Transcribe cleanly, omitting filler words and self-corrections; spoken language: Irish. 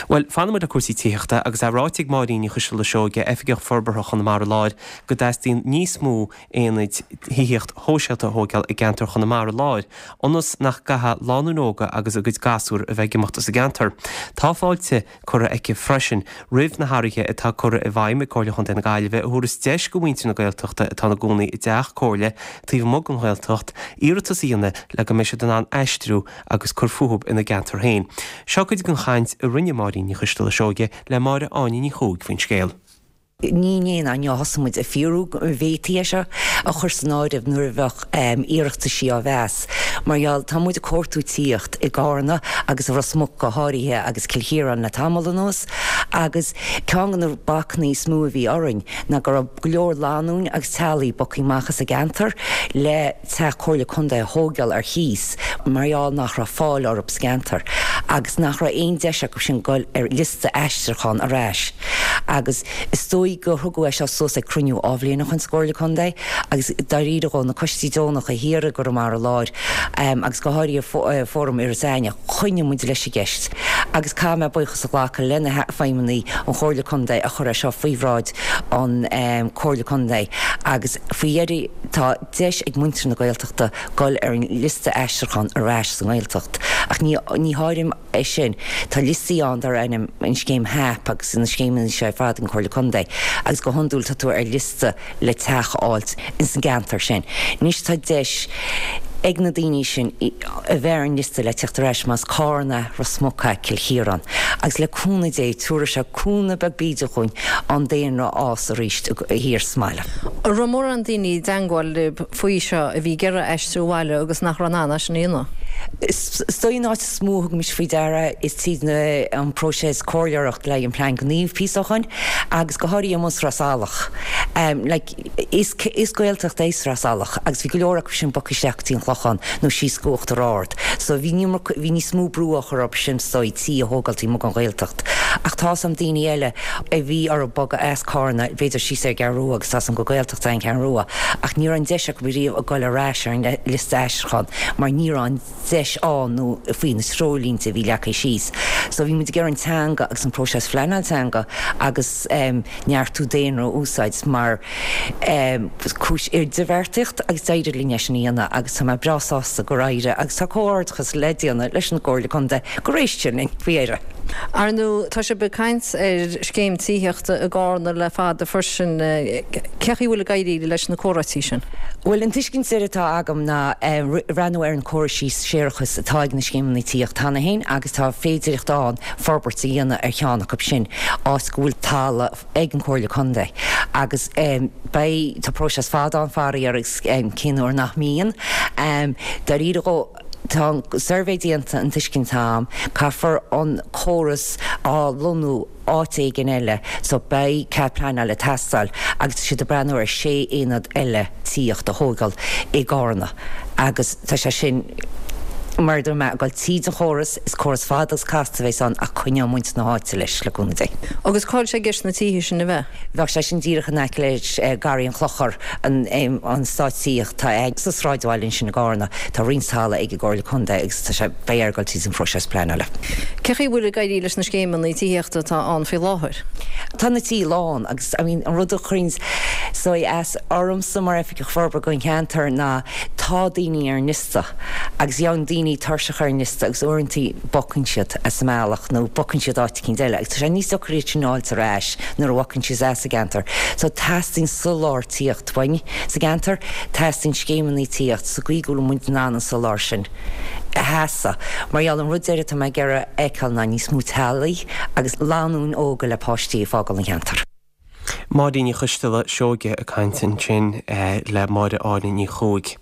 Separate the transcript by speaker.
Speaker 1: Bhuel, fanfaidh muid le cúrsaí tithíochta agus é ráite ag Máirín Ní Choisteala Seoige, Oifigeach Forbartha Chonamara Láir, go dteastaíonn níos mó aonaid thithíocht shóisialta a thóigeáil i gceantar Chonamara Láir, ionas nach gcaithfidh lánúin óga agus a gcuid gasúr a bheith ag imeacht as an gceantar. Tá fáilte curtha aici freisin roimh na hathruithe atá curtha i bhfeidhm ag Comhairle Chontae na Gaillimhe a thabharfas deis go mhuintir na Gaeltachta atá ina gcónaí i dteach comhairle taobh amuigh den Ghaeltacht iarratas a dhéanamh le go mbeidh siad in ann aistriú agus cur fúthu ina gceantar féin. Seo cuid den chaint a rinne Máirín Ní Choisteala Seoige le Máire Áine Ní Chuaig faoin scéal.
Speaker 2: Ní inné ná inniu a thosaigh muid ag fiafraí go bhféadfaí é seo a chur san áireamh nuair a bheadh iarrataisí á mheas. Mar gheall, tá muid ag cuartú tíocht i gCarna agus i Ros Muc go háirithe agus Cill Chiaráin le tamall anuas agus ceann de na bacanna is mó a bhí orainn ná go raibh go leor lánúin agus teaghlaigh bogtha amach as an gceantar le teach Comhairle Contae a thóigeáil ar chíos mar gheall nach raibh fáil orthu sa gceantar agus nach raibh aon deis acu sin goil ar liosta aistriúcháin ar ais agus is dóigh gur thugadh é seo suas ag cruinniú dhá bhliain ó shoin sa gComhairle Contae agus dáiríre dhó na coistí deonacha thiar i gConamara Láir agus go háirithe Fóram Iorras Aithneach choinnigh muid leis an gceist agus caithfidh mé buíochas a ghlacadh le na feidhmeannaigh an Chomhairle Contae a chuir é seo faoi bhráid an Comhairle Contae agus faoi dheireadh tá deis ag muintir na Gaeltachta dul ar an liosta aistriúcháin ar ais sa nGaeltacht. Ach ní ní háirim é sin. Tá liostaí ann dar ainm an scéim HAP agus na scéimeanna seo ar fad ag an Chomhairle Contae agus go hiondúil tá tú ar liosta le teach a fháilt ins an gceantar sin. Anois tá deis ag na daoine sin a bheith ar an liosta le teacht ar ais más Carna, Ros Muc, Cill Chiaráin. Agus le cúnamh Dé tabharfaidh sé cúnamh beag bídeach dhúinn an daonra a fhás arís thiar sa mbaile.
Speaker 3: An raibh mórán daoine i dteangmháil libh faoi seo a bhí ag iarraidh aistriú abhaile agus nach raibh in ann é sin a dhéanamh?
Speaker 2: Is dóigh an áit is mó a thugaimid faoi deara is tríd an próiseas comhairleoireacht le haghaidh an plean gnímh píosa ó shoin agus go háirithe amuigh sa Sraith Salach. Like is is Gaeltacht é Sraith Salach agus bhí go leor acu sin bogtha isteach go dtí an Clochán nó síos go Uachtar Ard. So bhí bhí níos mó brú á chur orthu sin is dóigh tí a thógáil taobh amuigh den Ghaeltacht. Ach tá's a'm daoine eile a bhí orthu bogadh as Carna, b'fhéidir síos ar an gCeathrú Rua agus tá's a'm gur Gaeltacht é an Cheathrú Rua ach ní raibh an deis acu riamh a goil ar ais ar an liosta aistriúcháin mar ní raibh an deis ann nó faoi na treoirlínte a bhí leagtha síos. So bhí muid ag iarraidh an teanga agus an próiseas phleanáil teanga agus neartú daonra a úsáid mar cúis idirbheartaíocht agus d'éirigh linn é sin a dhéanamh agus tá mé breá sásta gur éirigh agus tá comhghairdeachas le déanamh leis an gComhairle Contae gur éist siad linn faoi dheireadh.
Speaker 3: Ar ndóigh, tá sibh ag caint ar scéim tithíochta i gCarna le fada freisin. Cé chaoi a bhfuil ag éirí leis na comhráití sin?
Speaker 2: Bhuel, an tuiscint deiridh atá agam ná breathnú ar an córas séarachais atá ag na scéimeanna tithíochta cheana féin agus tá féidireacht ann forbairt a dhéanamh ar cheann acu sin, áit go bhfuil talamh ag an Chomhairle Contae agus beidh, tá próiseas fada ann faraor agus cén uair nach mbíonn. Dáiríre dhó, tá an suirbhé déanta, an tuiscint atá agam, caithfear an córas a lonnú áit éigin eile so beidh cead pleanála ag teastáil agus tá siad ag breathnú ar sé aonad eile tithíochta a thógáil i gCarna agus tá sé sin mar a dúirt mé, ag dul tríd an chóras, is córas fada agus casta a bheas ann ach coinneoidh muintir na háite leis, le cúnamh Dé.
Speaker 3: Agus cá bhfuil sé i gceist na tithe sin a bheith?
Speaker 2: Bheadh sé sin díreach in aice le Garraí an Chlochair, an eastát tithíochta atá sa sráidbhaile ansin i gCarna. Tá roinnt talamh ag an gComhairle Contae agus tá sé, beidh air dul tríd an phróiseas pleanála.
Speaker 3: Cé chaoi a bhfuil ag éirí leis na scéimeanna tithíochta atá ann faoi láthair?
Speaker 2: Tá na tithe lán agus I mean an rud a chuireann saghas as ormsa mar Oifigeach Forbartha don cheantar ná tá daoine ar an liosta agus gheobhann daoine tuirseach ar an liosta agus uaireanta bogann siad as an mbealach nó bogann siad áit eicínt eile agus tá sé níos deacra iad sin a fháilt ar ais nuair a bhogann siad as an gceantar. So teastaíonn soláthar tithíocht uainn sa gceantar, teastaíonn scéimeanna tithíocht sa gcaoi go bhfuil muid in ann an soláthar sin a sheasamh. Mar gheall an rud deiridh atá mé ag iarraidh a fheiceáil ná níos mó teaghlaigh agus lánúin óga le páistí ag fágáil an cheantair.
Speaker 1: Máirín Ní Choisteala Seoige ag caint ansin le Máire Áine Ní Chuaig.